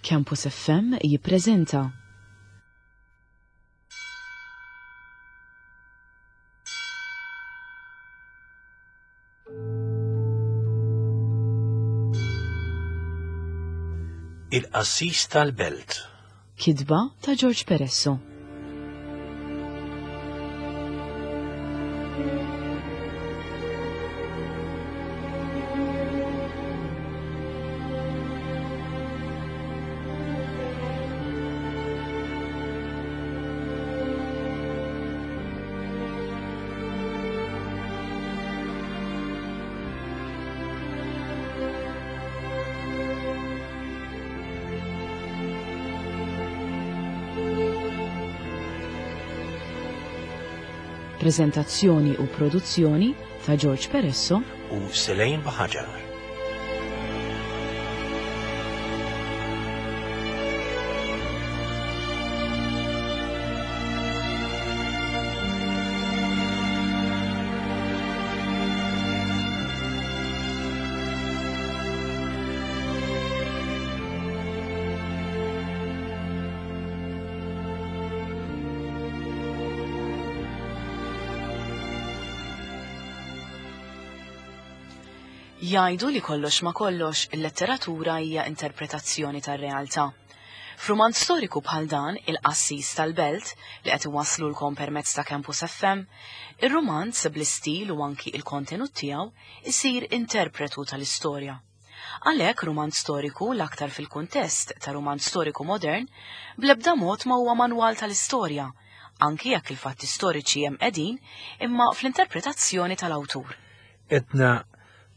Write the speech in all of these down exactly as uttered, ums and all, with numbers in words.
Campus F M jippreżenta Il-Qassis tal-Belt. Kitba ta' George Peresso. Prezentazzjoni u produzzjoni ta' George Peresso u Selene Buhagiar. Jgħidu li kollox ma kollox il-letteratura hija interpretazzjoni tar-realtà. F'rumanz storiku bħal dan, Il-Qassis tal-Belt, li qed iwasslulkom permezz ta' Campus F M, ir-rumanz bl-istil u anki il-kontenut tiegħu isir interpretu tal-istorja. Għalhekk rumanz storiku l-aktar fil-kuntest ta' rumanz storiku modern bl-ebda mod ma huwa manwal tal-istorja, anki jekk il-fatti storiċi hemm qegħdin imma fl-interpretazzjoni tal-awtur. Etna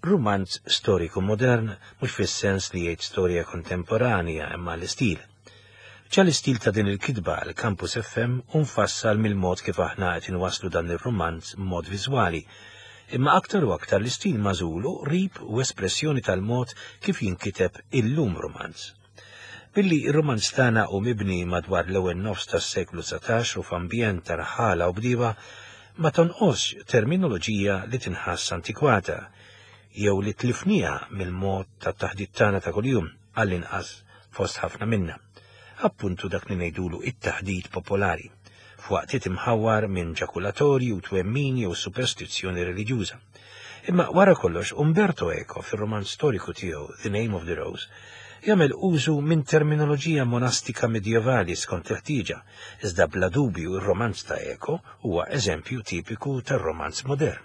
rumanz storiku modern mhux fis-sens li jgħid storja kontemporanja imma l-istil. Ġa l-istil ta' din il-kitba għal Campus F M unfassal mill-mod kif aħna qed inwasslu dan ir-rumanz b'mod viżwali, imma aktar u aktar l-istil magħżul hu qrib u espressjoni tal-mod kif jinkiteb illum rumanz. Billi r-rumanz tagħna hu mibni madwar l-ewwel nofs tas-seklu dsatax u f'ambjent ta' raħala u bdiewa, ma tonqosx terminoloġija li tinħass antikwata jew li tlifnija mill-mod tat-taħdit tagħna ta' kuljum għall-inqas fost ħafna minna. Appuntu dak li ngħidulu it-taħdit popolari, f'waqtiet imħawwar minn ġakulatorji u twemmin jew superstizzjoni reliġjuża. Imma wara kollox Umberto Eco fir-romanz storiku tiegħu The Name of the Rose jagħmel użu minn terminoloġija monastika medjevali skont il-ħtieġa, iżda bla dubju r-romanz ta' Eco huwa eżempju tipiku tar-romanz modern.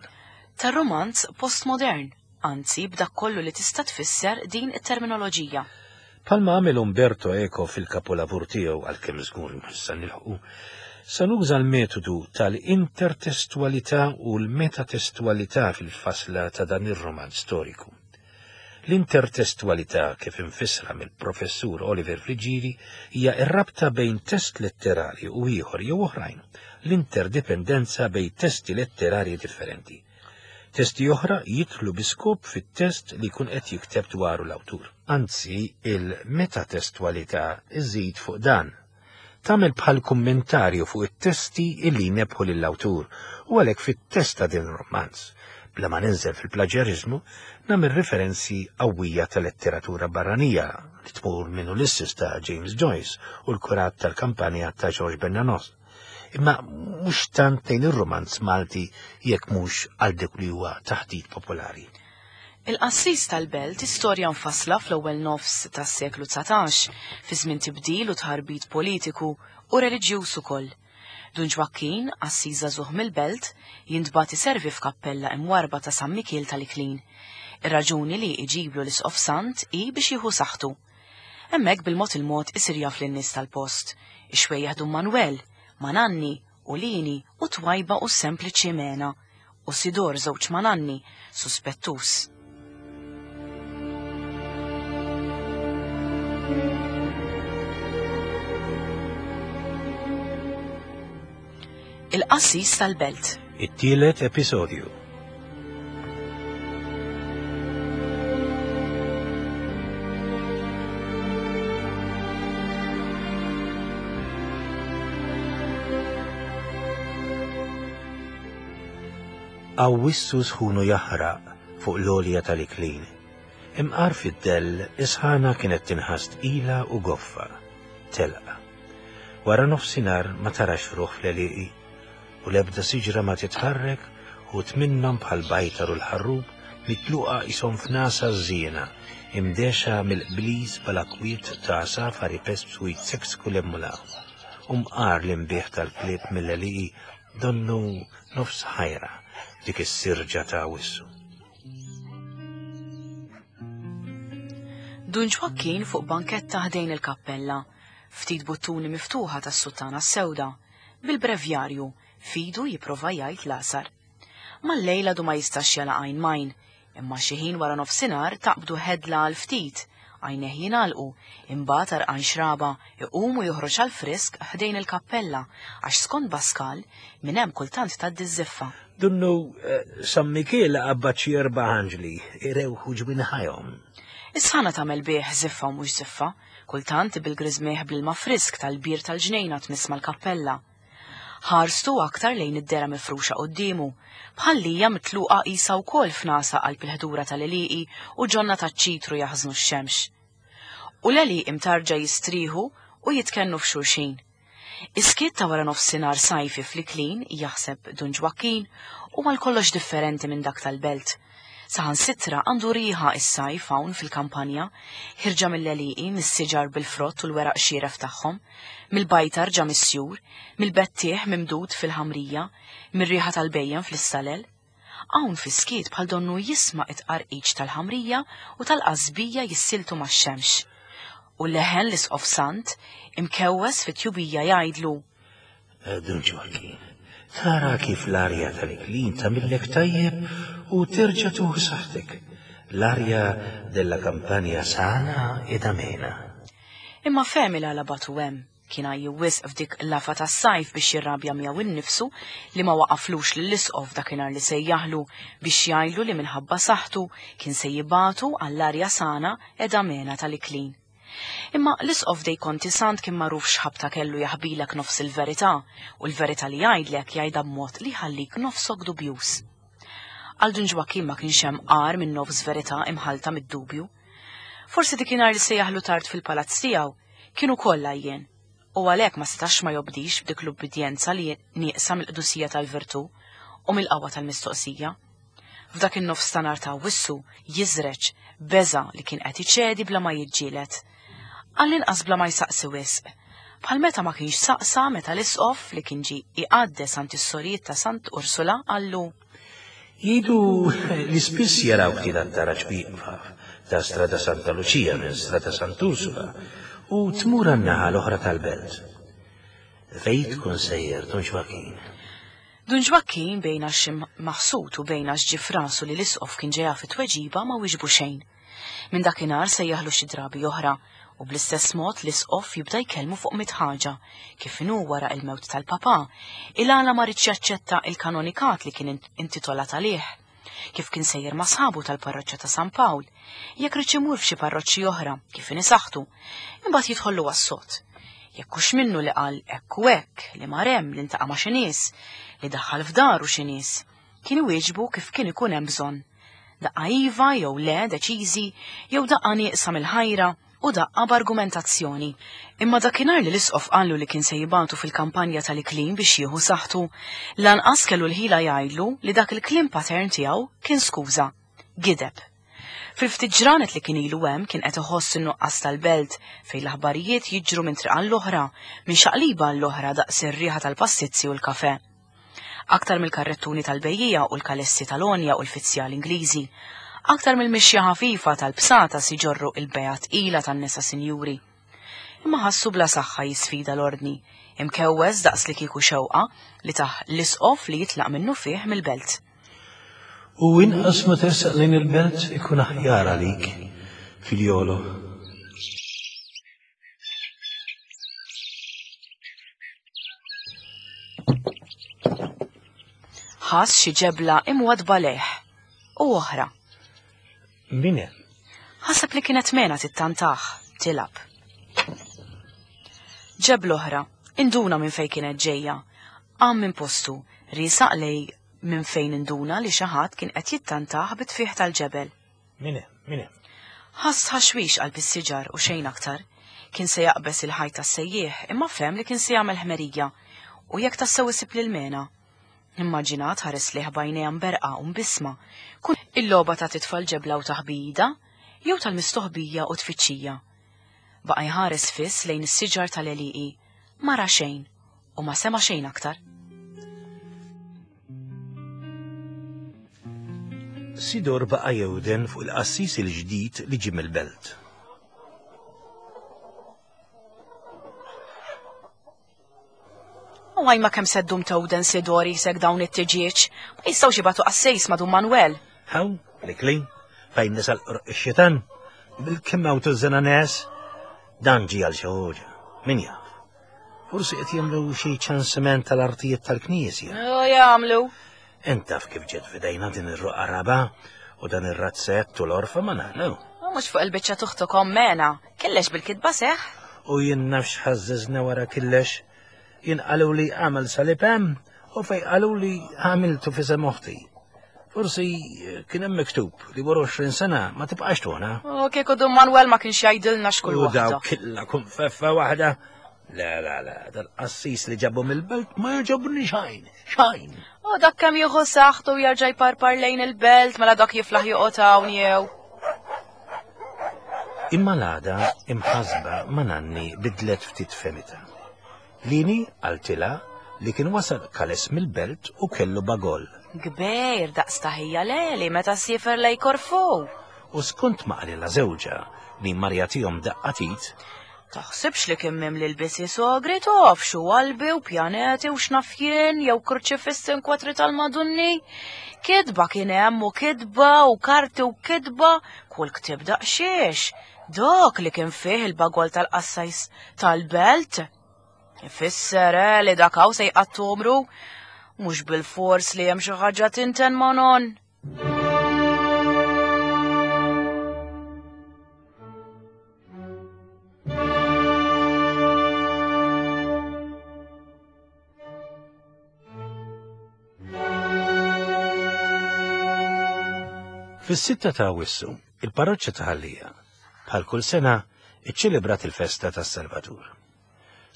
Tar-romanz postmodern, anzi b'dak kollu li tista' tfisser din it-terminoloġija. Palma għamel Umberto Eco fil-kapolavur tiegħu għalkemm żgur issa nilħqu, sa nuża l-metodu tal-intertestualità u l-metatestualità fil-fasla ta' dan ir-romanz storiku. L-intertestualità, kif infissra mill-professur Oliver Friggieri, hija r-rabta bejn test letterali u ieħor jew oħrajn, l-interdipendenza bejn testi letterari differenti. Testi oħra jidħlu bi skop fit-test li jkun qed jikteb dwaru l-awtur. Anzi, il-metatestualità iżid fuq dan. Tagħmel bħal kummentarju fuq it-testi illi jnebħu lill-awtur u għalhekk fit-test ta' din ir-romanz. Bla ma ninżel fil-plaġjariżmu, nagħmel referenzi qawwija ta' letteratura barranija li tmur minn Ulysses ta' James Joyce u l-kurat tal-kampanja ta' George Bernanos. Imma mhux tant lejn ir-romanz Malti jekk mhux għal dik li huwa taħdit popolari. Il-Qassis tal-Belt istorja mfassla fl-ewwel nofs tas-seklu dsatax fi żmien tibdil u tħarbit politiku u reliġjuż ukoll. Dun Ġwakkin, qassis żagħżugħ mill-belt, jintbagħat iservi f'kappella imwarba ta' San Mikiel tal-Iklin. Ir-raġuni li iġiblu l-Isqof Sant hi biex jieħu saħħtu. Hemmhekk bil-mod il-mod isir jaf lin-nies tal-post, ix-xwejjaħ Dun Manuel, Mananni, u Lini, u Twajba u sempliċi Mena, u Sidor żewġ Mananni, suspettus. Il-Qassis tal-Belt. It-tielet episodju. Awwissu sħunu jaħraq fuq l-għolja tal-Iklin. Imqar fid-dell, is-sħana kienet tinħass tqila u goffa, telqa. Wara nofsinhar ma tarax ruħ fl-għelieqi, u l-ebda siġra ma titħarrek, u minnhom bħal bajtar u l-ħarrub mitluqa qishom f'nasa żiena, imdexa mill-qbliż bħala kwiet ta' għasafar ipespsu jitseksku l-emmulaw. U mqar l-inbieħ tal-klieb mill-għelieqi donnu nofs ħajra dik is-sirġa ta' wissu. Dun Ġwakkin fuq banketta ħdejn il-kappella, ftit buttuni miftuħa tas-suttana s-sewda, bil-brevjarju, fidu jipprova jgħid l-għasar. Mal-lejla du ma jistax jala għajn majn, imma xi ħin wara nofsinhar taqbdu ħedla għal ftit, għajneh jingħalqu, imbagħad għarqan xraba, iqum u joħroġ għal frisk ħdejn il-kappella, għax skont Baskal minn hemm kultant tgħaddi ż-żiffa. Dunnu San Mikiel qabad xi erba' anġli irewħu ġwinħajhom. Is-sħana tagħmel bih żiffa u mhux żiffa, kultant bil-griżmieħ bl-ilma frisk tal-bir tal-ġnejna tmiss mal-kappella. Ħarstu aktar lejn id-dera mifruxa quddiemu, bħallija mitluqa qisha wkoll f'nasa qalb il-ħdura tal-għelieqi u ġonna taċ-ċitru jaħżnu x-xemx. U l-għelieqi mtarġa jistrieħu u jitkennu f'xulxin. Is-skiet ta' wara nofsinhar sajfi fl-Iklin, jaħseb Dun Ġwakkin, u mal kollox differenti minn dak tal-belt. Saħansitra għandu riħa is-sajf hawn fil-kampanja, ħirġa mill-għelieqi, mis-siġar bil-frott u l-weraq xieref tagħhom, mill-bajtar ġa mis-sjur, mill-bettieħ mimdud fil-ħamrija, mir-riħa tal-bejjem fl-istalel. Hawn fis-skiet bħal donnu jisma' it-qarqiċ tal-ħamrija u tal-qasbija jissiltu max-xemx. U leħen l-isqof Sant imkewwes fit-tjubija jgħidlu: Dun Ġwakkin, tara kif l-arja tal-Iklin tagħmillek tajjeb u terġa' tuħu saħħtek. L-arja della kampanja sana ed amena. Imma fehmi l-għala batu hemm, kien għajju wisq f'dik l-afa tas-sajf biex jirrabja miegħu innifsu li ma waqaflux lill-isqof dakinhar li sejjaħlu biex jgħidlu li minħabba saħħtu kien se jibatu għall-arja sana ed amena tal-Iklin. Imma l-isqof dej Konti Sant kien magħruf x'ħabta kellu jaħbilek nofs il-verità, u l-verità li jgħidlek jgħidha b'mod li jħallik nofsok dubjuż. Għal Dun Ġwakkin ma kienx hemm qar minn nofs verità imħalta mid-dubju. Forsi dikinhar li sejjaħlu tard fil-palazz tiegħu kienu kollha jien, u għalhekk ma setax ma jobdix b'dik l-ubbidjenza li nieqsa mill-qdusija tal-virtù u mill-qawwa tal-mistoqsija. F'dak in-nofs ta' nhar ta' wissu jiżreġ beża li kien qed iċedi bla ma jiġġieled. Għall-inqas bla ma jsaqsi wisq. Bħal meta ma kienx saqsa meta l-isqof li kien ġie iqaddes għand is-sorijiet ta' Sant Ursula qallu: Jgħidu li spiss jaraw ftit għat-taraġ wieqfa ta' Strada Santa Lucia minn Strada Sant Ursula u tmur għan-naħa l-oħra tal-belt. Fejn tkun sejjer, Dun Ġwakkin? Dun Ġwakkin bejn għax maħsud u bejn għax ġie f'rasu li l-isqof kien ġejja fit-tweġiba ma wieġbu xejn. Minn dakinhar sejjaħlu xi drabi oħra, u bl-istess mod l-isqof jibda jkellmu fuq mit ħaġa, kif inhu wara il-mewt tal-papa, il-għala ma ridx jaċċetta il-kanonikat li kien intitolat għalih, kif kien sejjer ma' sħabu tal-parroċċa ta' San Pawl, jekk ridx imur f'xi parroċċi oħra, kif inhi saħħtu, imbagħad jidħollu għas-sod. Jekk hux minnu li qal hekk u hekk, li mar hemm, li ntaqa' ma' xi nies, li daħħal f'daru xi nies, kien iwieġbu kif kien ikun hemm bżonn. Daqqa iva jew le deċiżi, jew daqqa nieqsa mill-ħajra u daqqa b'argumentazzjoni. Imma dakinhar li l-isqof qallu li kien se jibatu fil-kampanja tal-Iklin biex jieħu saħħtu, lanqas kellu l-ħila jgħidlu li dak il-kliem patern tiegħu kien skuża, gideb. Fil-ftit ġranet li kien ilu hemm kien qed iħoss in-nuqqas tal-belt fejn l-aħbarijiet jiġru minn triq għall-oħra, minn xaqliba għall-oħra daqs ir-riħa tal-pastizzi u l-kafè. Aktar mill-karrettuni tal-bejjija u l-kalessi tal-onja u l-fizzjal Ingliżi, aktar mill-mixja ħafifa tal-bsata si ġorru il-beja tqila tan-nisa sinjuri. Imma ħassu bla saħħa jisfida l-ordni, imkewwes daqs li kieku xewqa li taħ l-isqof li jitlaq minnu fih mill-belt. U inqas ma tersaq lejn il-belt ikun aħjar għalik, figliolo. Ħass xi ġebla imwadba lejh u oħra. Min hemm? Ħaseb li kienet mena tittantaħ, tilab. Ġebla oħra, induna minn fejn kienet ġejja, qam minn postu, riesaq lej minn fejn induna li xi ħadd kien qed jittantaħ bit-tfieħ tal-ġebel. Min hemm? Min hemm? Ħass ħaxwix qalb is-siġar u xejn aktar. Kien se jaqbeż il-ħajt tas-sejjieħ imma fehem li kien se jagħmel ħmerija u jekk tassew isib lil Mena. Immaġinat ħares lejh b'għajnejha mberqa u mbisma. Kun il-logħba ta' titfal ġebla u taħbida jew tal-mistoħbija u tfittxija. Baqa' jħares fiss lejn is-siġar tal-għelieqi, ma ra xejn u ma sema' xejn aktar. Sidor baqa' jewden fuq il-qassis il-ġdid li ġie mill-belt. U għaj ma kemm seddum tewden Sidor jisek dawn it-tiġieġ, ma jistgħux jibgħatu qassejs ma' Dun Manuel. Hawn, l-iklin, fejn nisal ix-xitan, bil-kemm hawn tużżena nies, dan ġie għal xi ħoġa, min jaf. Forsi qed jagħmlu xi ċensiment tal-artijiet tal-knisja. O jagħmlu. Int taf kif ġiet f'idejna din ir-roqgħa raba u dan ir-razzett u l-orfa ma nagħnu. U mhux fuq il-biċċa tuħtukom Mena, kellex bil-kitba seħ. U jien nafx ħażżeżna wara kellex. Jien qalu li għamel salib hemm u fej qalu li għamiltu fi sem oħti. Forsi kien hemm miktub li wara għoxrin sena ma tibqax tona. U kieku Dun Manuel ma kienx jgħidilna x'kull U daw waħda. killa konfeffa waħda. Le, le, le, dal-qassis li ġabu mill-belt ma jogħġobni xejn, xejn. U dak kemm jieħu saħħtu u jerġa' jparpar lejn il-belt mela dak jiflaħ joqgħod hawn jew. Imma l-għada imħasba ma nanni bidlet ftit femita. Lini qaltilha li kien wasal kales mill-belt u kellu bagol. Kbir daqs taħija leli meta siefer lej Korfu. U skont ma qalilha żewġha li marjatihom daqqatit, Taħsibx li kien mimli l-bisi sogri tof xu qalbi u pjaneti u xnafjien jew kurċifissi inkwatri tal-Madunni. Kidba kien hemm u kidba u karti u kidba, kull ktib daqsxiex. Dok li kien fih il-bagol tal-qassajs tal-belt. Ifisser eh, li dak hawn se jqattu umru, mhux bil-fors li hemm xi ħaġa tinten ma' non. Fis-sitta ta' Awwissu, il-parroċċa ta' Ħal Lija, bħal kull sena, iċċelebrat il-festa tas-Salvatur.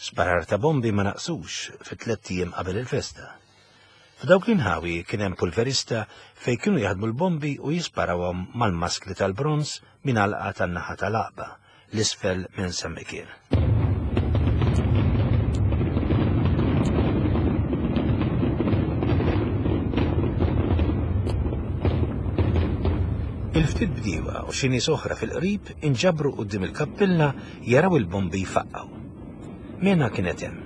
Sparar ta' bombi ma naqsux fi tliet ijiem qabel il-festa. F'dawk l-inħawi kien hemm pulverista fejn kienu jaħdmu l-bombi u jisparawhom mal-maskli tal-bronz minn għalqa tan-naħa tal-Aqba, l-isfel minn San Mikiel. Il-ftit bdiewa u xi nies oħra fil-qrib inġabru quddiem il-kappella jaraw il-bombi jfaqqgħu. Mena kienet hemm.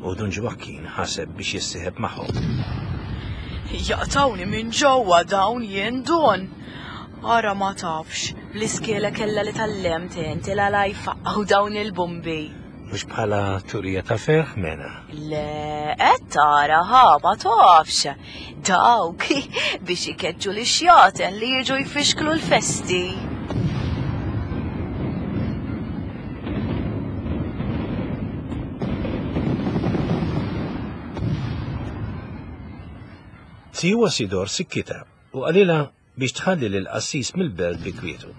U Dun Ġwakkin ħaseb biex jissieħeb magħhom. Jaqtawni minn ġewwa dawn jien Dun. Ara ma tafx, l-iskela kella li tal-lem tenti la la jfaqqgħu dawn il-bombi. Mhux bħala turija ta' ferħ, Mena. Le, qed tara ħa ma tafx. Dawk biex ikeġġu li xjaten li jiġu jfixklu l-festi. Siwa Sidor sikkita u qalilha biex tħalli lil qassis mill-belt bi kwietu.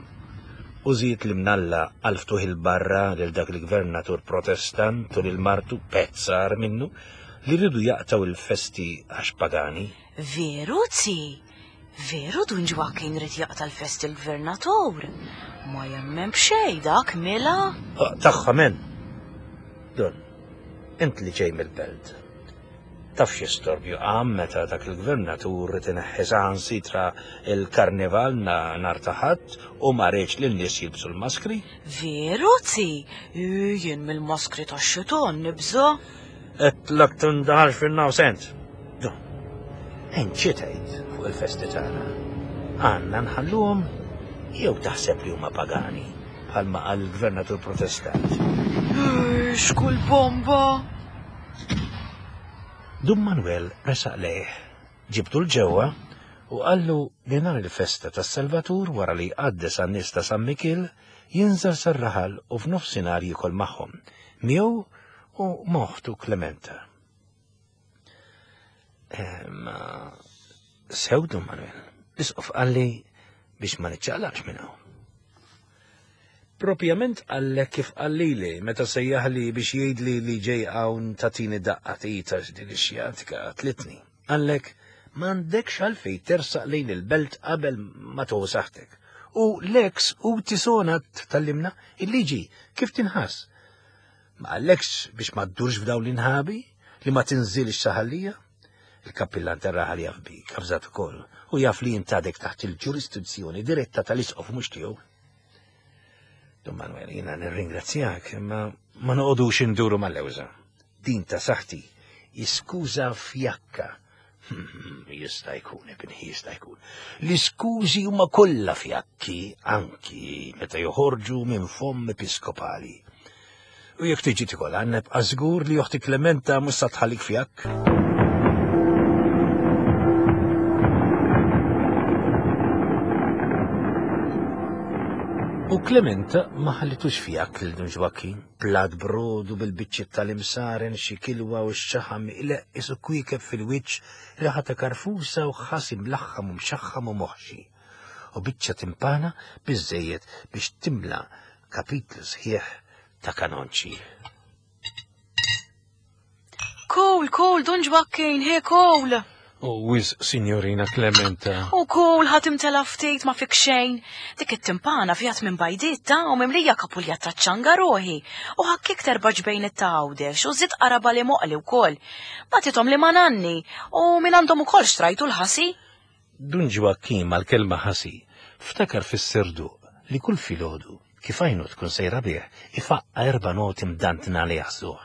U żied li mnalla għal ftuħ il-barra lil dak il-gvernatur protestant u lil martu pezzar minnu li rridu jaqtaw il-festi għax pagani. Veru, zi? Veru Dun Ġwakkin rid jaqta' l-festi l-gvernatur? Ma jemmen b'xejn dak mela? Tagħha men. Dun, int li ġej mill-belt. Taf xi storbju qam meta dak il-gvernatur rid ineħħi saħansitra il-karnival na nhar ta' Ħadd u ma riedx lin nies jilbsu l-maskri? Veru, zi? Jien mill-maskri tax-xitan nibża'. Qedtlek tindaħalx fin-nofsent. Dun, int xi tgħid fuq il-festi tagħna? Għandna nħalluhom jew taħseb li huma pagani bħalma qal il-gvernatur protestant? X'kull bomba! Dun Manuel resaq lejh, ġibtu l-ġewwa u qallu li nhar il-festa tas-Salvatur wara li jqaddes għan-nies ta' San Mikiel jinżel sar-raħal u f'nofsinhar jiekol magħhom, miegħu u moħtu Klementa. Ma sew Dun Manuel, l-isqof qalli biex ma niċċaqlaqx minn hawn. Propjament għallek kif qallili meta sejjaħli biex jgħidli li ġej hawn tatini daqqa tita din ix-xjatika tlitni. Għallek m'għandekx għalfejn tersaq lejn il-belt qabel ma tuħu saħtek. U l-ex u tisona tallimna il-liġi kif tinħass. Ma għallekx biex ma ddurx f'dawn l-inħabi li ma tinżilx saħallija? Il-kappillan terraħal jaf bik, avżat ukoll, u jaf li jintadek taħt il-ġurisdizzjoni diretta tal-isqof mhux tiegħu. Dun Manuel, jiena nirringrazzjak, imma ma noqogħdux induru mal-lewża. Din ta' saħti, iskuża fjakka. Jista' jkun, ibni, jista' jkun. L-iskużi huma kollha fjakki, anki meta joħorġu minn fomm episkopali. U jekk tiġi tikol għanneb, żgur li oħti Klementa mhux sa tħallik fjakk. U Klementa ma ħallitux fjakk lil Dun Ġwakkin, plat brodu bil-biċċiet tal-imsaren, xi kilwa u x-xaħam ileqqis isu kwiekeb fil-wiċċ, riħa ta' karfusa u ħasi mlaħħam u mxaħħam u moħxi. U biċċa timpana biżżejjed biex timla kapitlu sħiħ ta' kanonċi. Kol, kol, Dun Ġwakkin, he kol! U wiz, signorina Klementa. U kol, ħatim tela ftit ma fik xejn. Dik it-timpana fjat minn bajditta u mimlija kapulja ta' ċanga roħi. U ħakkik terba' ġbejn it-tawdex u zid qaraba li moqli wkoll. Batitom li ma nanni u minn għandhom ukoll xtrajtu l-ħasi. Dun Ġwakkin mal-kelma ħasi ftakar fis-serduq li kull filgħodu kif għajnu tkun sejra bih ifaqqa erba' noti mdantna li jaħsuh.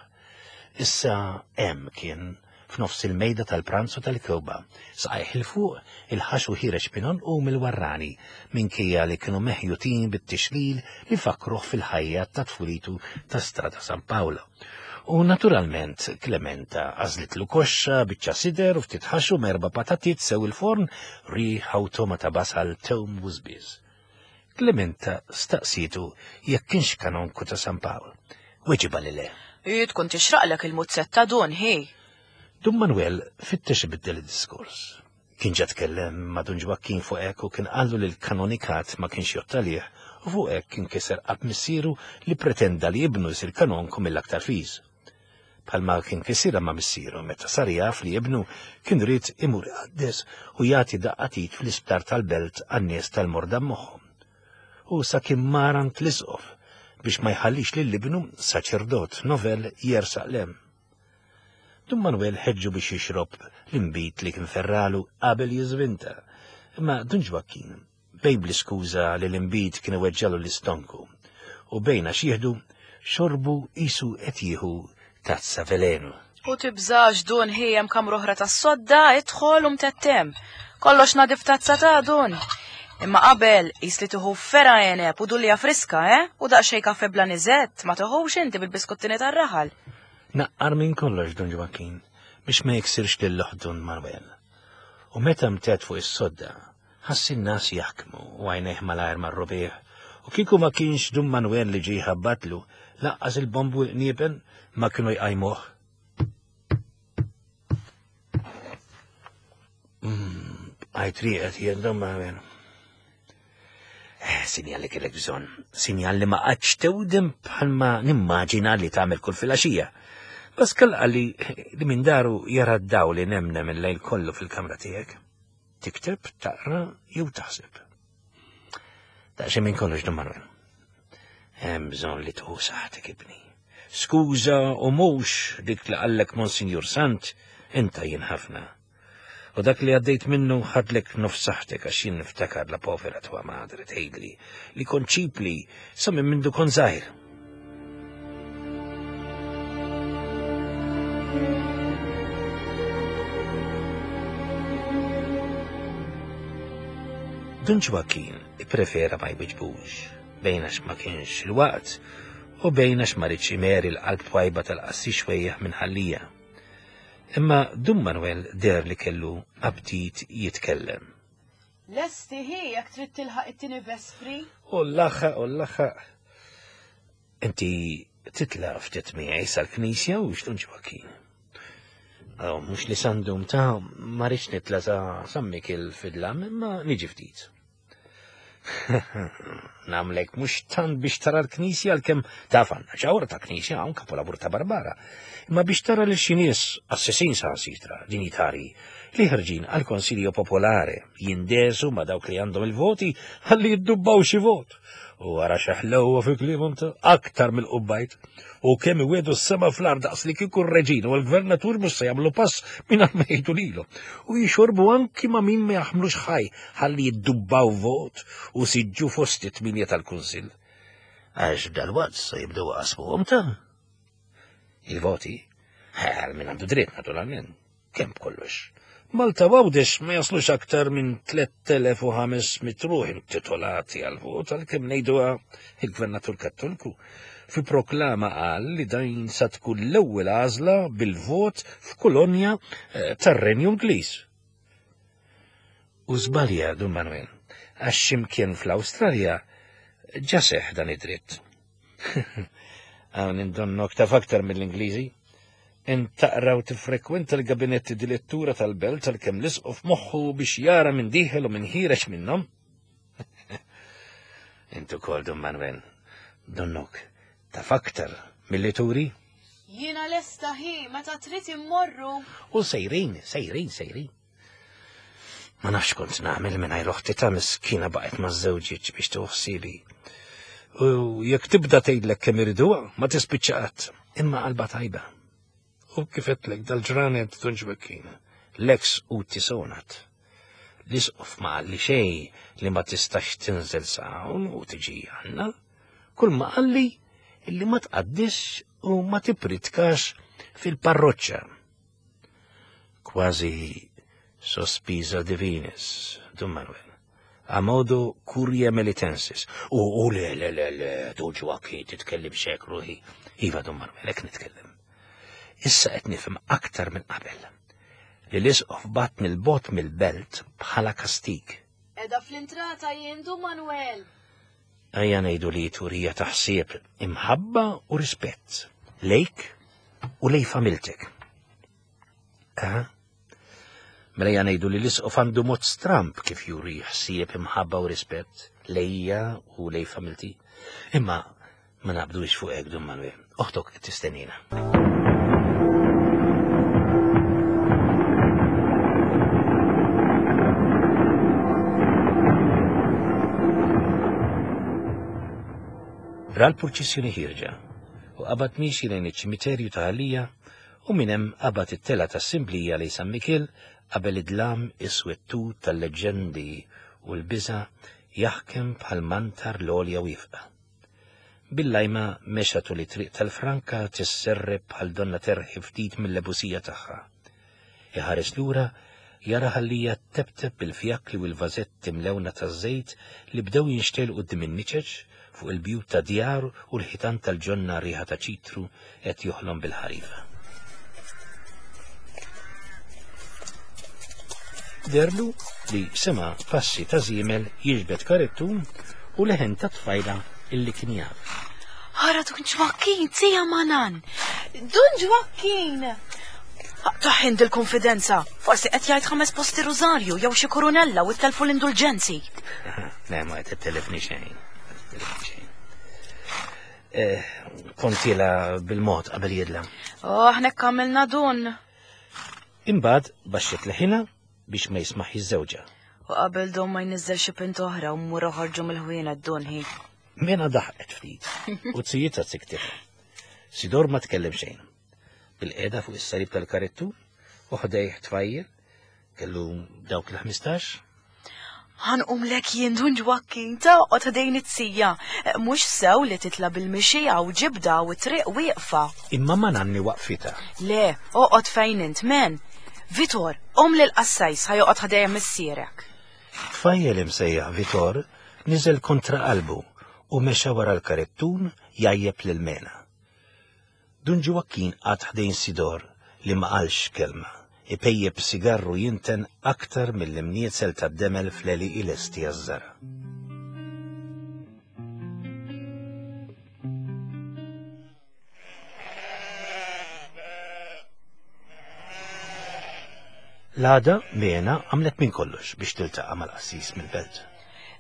Issa hemm kien f'nofs il-mejda tal-pranzu tal-kewba, saqajh il fuq il-ħaxu ħireġ minon u mill-warrani, minkejja li kienu meħjutin bit-tixlil li fakruh fil-ħajja ta' tfulitu ta' Strada San Paolo. U naturalment Klementa għażlitlu koxxa, biċċa sider u ftit ħaxu merba patatit sew il-forn, riħa u toma ta' basal tewm u żbiż. Klementa staqsitu jekk kienx kanonku ta' San Pawl. Weġiba li le. Hi tkun tixraqlek il-muzzetta Dun, hi. Dun Manuel fittex ibiddel id-diskors. Kien ġa tkellem ma' Dun Ġwakkin fuq hekk u kien qallu li l-kanonikat ma kienx jottalih u fuq hekk kien kiser qalb missieru li pretenda li ibnu jsir kanonku mill-aktar fiż. Bħalma kien kisirha ma' missieru meta sar jaf li ibnu kien ried imur iqaddes u jagħti daqqa fl-isptar tal-belt għan-nies tal-morda moħħhom. U sa kien marant l-isqof biex ma jħallix lil ibnu saċerdot novel jersaq lem. Dun Manuel ħeġġu biex jixrob l-imbit li kien ferralu qabel jiżvinta. Imma Dun Ġwakkin bejn bl-iskuża li l-imbit kien iweġġalu l-istonku u bejn għax jieħdu xorbu isu qed jieħu tazza velenu. U tibżax Dun, hi hemm kamra oħra tas-sodda, idħol u mtettem. Kollox nadif tazza ta' Dun. Imma qabel qis li tieħu fera għeneb u dulja friska, eh? U daqsxejn kafe bla niżett, ma toħux inti bil-biskottini tar-raħal. Naqqar minn kollox Dun Ġwakkin biex ma jiksirx lil Dun Manuel. U meta mtet fuq is-sodda, ħass in-nas jaħkmu u għajnejh malajr marru bih. U kieku ma kienx Dun Manuel li ġie ħabbatlu, laqqas il-bombu l-qniepen ma kienu jqajmuh. Għajt rieqet jien Dun Manuel. Sinjal li kellek bżonn, sinjal li ma qatx tewdem bħalma nimmaġina li tagħmel kull filgħaxija. Pascal qalli li minn daru jara d-dawl li nemnem il-lejl kollu fil-kamra tiegħek. Tikteb, taqra jew taħseb. Daqsxejn minn kollox Dun Manuel. Hemm bżonn li tuħu saħtek ibni. Skuża u mhux dik li qallek Monsinjur Sant, inta jien ħafna. U dak li għaddejt minnu ħadlek nofs saħtek għax jien niftakar la povera tua madre tgħidli li konċipli sa minn mindu kon żgħir. Dun Ġwakkin ipprefera ma jwiġbux, bejn għax ma kienx il-waqt u bejn għax ma ridx imeri l-qalb twajba tal-qassis xwejjaħ minn ħallija. Imma Dun Manuel der li kellu aptit jitkellem. Lesti hi jekk trid tilħaq it-tieni vespri? U l-laħħaq, u l-laħħaq. Inti titla' ftit miegħi sal-knisja u x'Dun Ġwakkin? Oh, mhux li sandum ta' ma rridx nitla' sa San Mikiel fidlam, imma niġi ftit. Namlek mhux tant biex tara l-knisja għalkemm taf għandna ġawra ta' knisja hawn kapolavur ta' Barbara, imma biex tara lil xi nies assessin sa' sitra dinjitari li ħerġin għal Konsiljo Popolare jindesu ma' dawk li għandhom il-voti ħalli jiddubbaw xi vot. U għara xeħlewwa fi kliemhom ta' aktar mill-qubbajt. U kemm iwedu s-sema fl-art daqs li kieku r-reġin u l-gvernatur mhux se jagħmlu pass mingħajr ma jgħidu lilhom. U jixorbu anki ma' min ma jaħmlux ħaj ħalli jiddubbaw vot u siġġu fost it-tminja tal-kunsill. Għax dalwaqt se jibdew qasmuhom ta' il-voti. Għal min għandu dritt naturalment, kemm b'kollox. Malta Għawdex ma jaslux aktar minn tliet elef u ħames mitt ruħ intitolati għal vot għalkemm ngħiduha il-Gvernatur Kattoliku. Fi proklama qal li din sa tkun l-ewwel għażla bil-vot f'kolonja tar-Renju Ingliż. U żbalja Dun Manuel, għax x'imkien fl-Awstralja ġa seħħ dan id-dritt. Hawn indonnok taf aktar mill-Ingliżi. Int taqra u tiffrekwenta l-gabinetti di lettura tal-belt għalkemm l-isqof moħħu biex jara minn dieħel u minn ħireġ minnhom. Int ukoll Dun Manuel, donnok taf aktar milli turi? Jiena lesta ħi, meta trid immorru. U sejrin, sejrin, sejrin. Ma nafx kont nagħmel mingħajr oħti ta' miskina baqgħet ma' żewġietx biex tieħu ħsiebi. U jekk tibda tgħidlek kemm iriduha, ma tispiċċa qatt, imma qalba tajba. U kif għedtlek dal-ġranet Dun Ġwakkin, l-ex uti sonat. L-isqof ma qalli xejn li ma tistax tinżel sa hawn u tiġi għandna. Kull ma qalli illi ma tqaddisx u ma tipritkax fil-parroċċa. Kważi sospisa divinis, Dun Manuel. A modo curia melitensis. U, u le, le, le, le, Dun Ġwakkin, titkellim xek ruħi. Iva, Dun Manuel, hekk nitkellem. Issa qed nifhem aktar minn qabel li l-isqof batni l-bot mill-belt bħala kastig. Edha fl-intrata jien Dun Manuel. Ejja ngħidu li turija taħsieb imħabba u rispett lejk u lej familtek. Aha. Mela ejja ngħidu li l-isqof għandu mod stramp kif juri ħsieb imħabba u rispett lejja u lej familti. Imma ma naqbdux fuq hekk Dun Manuel. Oħtok qed tistennina. Ra l-purċissjoni ħirġa u qabad miexi lejn iċ-ċimiterju ta' Ħalija u minn hemm qabad it-tela tas-Simblija lejn San Mikiel qabel id-dlam iswettu tal-leġendi u l-biża' jaħkem bħal mantar l-għolja wieqfa. Bil-lajma mexa tul it-triq tal-Franka tisserreb bħal donna terħi ftit mill-ebusija tagħha. Iħares lura jara Ħalija tebteb bil-fjakli u l-vażetti mlewna taż-żejt li bdew jinxtelqu quddiem in-niċeċ fuq il-bjut ta' djar u l-ħitan tal-ġonna riħa ta' ċitru qed joħlom bil-ħarifa. Derlu li sema passi ta' żiemel jiġbed karettun u leħen ta' tfajla illi kien jaf. Ħara Dun Ġwakkin, tija Manan! Dun Ġwakkin! Taħin dil-konfidenza, forsi qed jgħid ħames posti rużarju jew xi koronella u telfu l-indulġenzi. Le, ma qed telefni xejn. Xejn. Eh, kontila bil-mod qabel jidla. Oh, aħna kamilna dun. Imbagħad baxxet leħina biex ma jismaħ iż-żewġa. U qabel dun ma jniżżel xi pint oħra u mmur oħorġu mill-ħwienet dun hi. Mena daħqet ftit u tzijietha tsiktitha. Sidor ma tkellem xejn. Bil-qiegħda fuq is-salib tal-karettu u ħdejh tfajjel kellu dawk il-ħmistax. Ħanqum lek jien Dun Ġwakkin ta' oqgħod ħdejn it-sija. Mhux sew li titla' bil-mixija u ġibda u triq wieqfa. Imma ma nanni waqfitha. Le, oqgħod fejn int men. Vitor, qom lil qassajs ħajoqgħod ħdejja missierek. Tfajjel imsejjaħ Vitor niżel kontra qalbu u mexa wara l-karettun jajjeb lil Mena. Dun Ġwakkin qagħad ħdejn Sidor li ma qalx kelma. Ipejjeb sigarru jinten aktar mill-imnietzel tad-demel fl-għelieqi lesti għaż-żara. L-għada Mena għamlet minn kollox biex tiltaqa' mal-qassis mill-belt.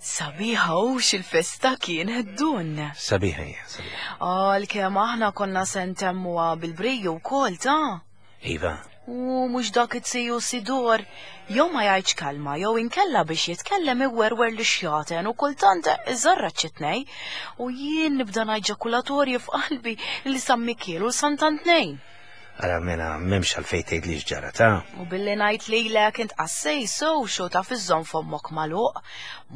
Sabiħa hux il-festa kienet dun. Sabiħa hija, sabiħa. Għalkemm aħna konna se ntemmuha bil-briju wkoll ta'. Iva. U mhux dak it-siju Sidor, jew ma jgħidx kalma, jew inkella biex jitkellem iwerwer li xjaten u kultant iżarra ċitnej, u jien nibda ngħid ġakulatorji f'qalbi li San Mikiel u Sant'Antnejn. Ara mela m'hemmx għalfejn tgħid li x'ġara ta'. U billi ngħid lilek int qassej sew xo taf iżżomm fommok magħluq,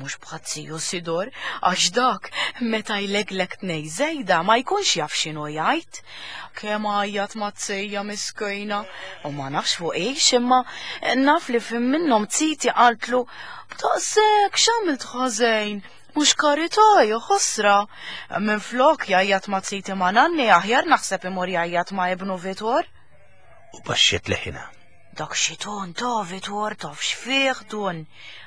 mhux bħat siju Sidor, għax dak meta jleglek tnej żejda ma jkunx jaf x'inhu jgħid. Kemm għajjat ma tsejja miskejna, u ma nafx fuq ix, imma naf li fim minnhom tsiti qaltlu b'taqsek x'għamilt ħażejn. Mhux karità, jew ħosra. Minn flok jgħajjat ma tsiti ma nanni aħjar naħseb imur jgħajjat ma ibnu Vitor. U baxxiet leħina. Dak xiton ta' Vitor taf x'fih dun.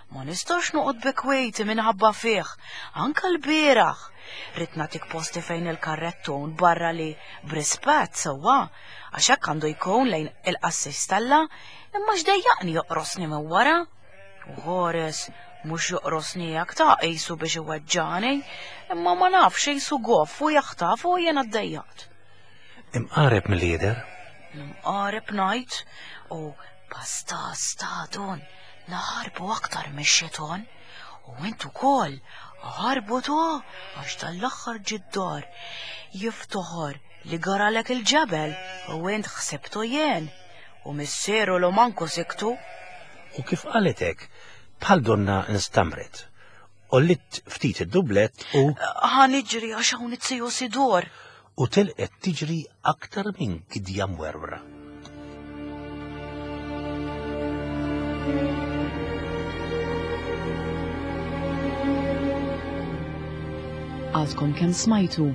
Ma nistax noqgħod bekwejti minħabba fih, anka l-bieraħ. Rid nagħtik posti fejn il-karrettun barra li b'rispett sewwa, għax hekk għandu jkun lejn il-qassis talla, imma x'dejjaqni joqrosni minn wara. U ħores, mhux joqrosni jak ta' qisu biex iweġġani, imma ma nafx qisu goff u jaħtaf u jiena ddejjaqt. Imqareb mill-lider? Imqareb ngħid, u pasta stadun, naħarbu aktar mix-xiton, u int ukoll ħarbu to għax tal-aħħar ġid-dar jiftoħor li garalek il-ġebel u int ħsibtu jien, u missieru l manku siktu. U kif qalet hekk, bħal donna instamret. Ollit ftit id-dublet u Ħa niġri għax hawn it-siju Sidor. U telqet tiġri aktar minn gidja mwerwra. Għadkom kemm smajtu.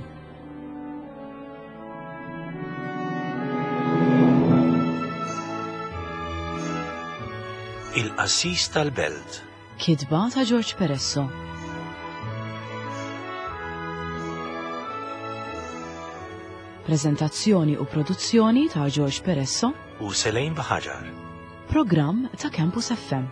Il-Qassis tal-Belt. Kitba ta' George Peresso. Prezentazzjoni u produzzjoni ta' George Peresso u Selejn Baħaġar. Programm ta' Campus F M.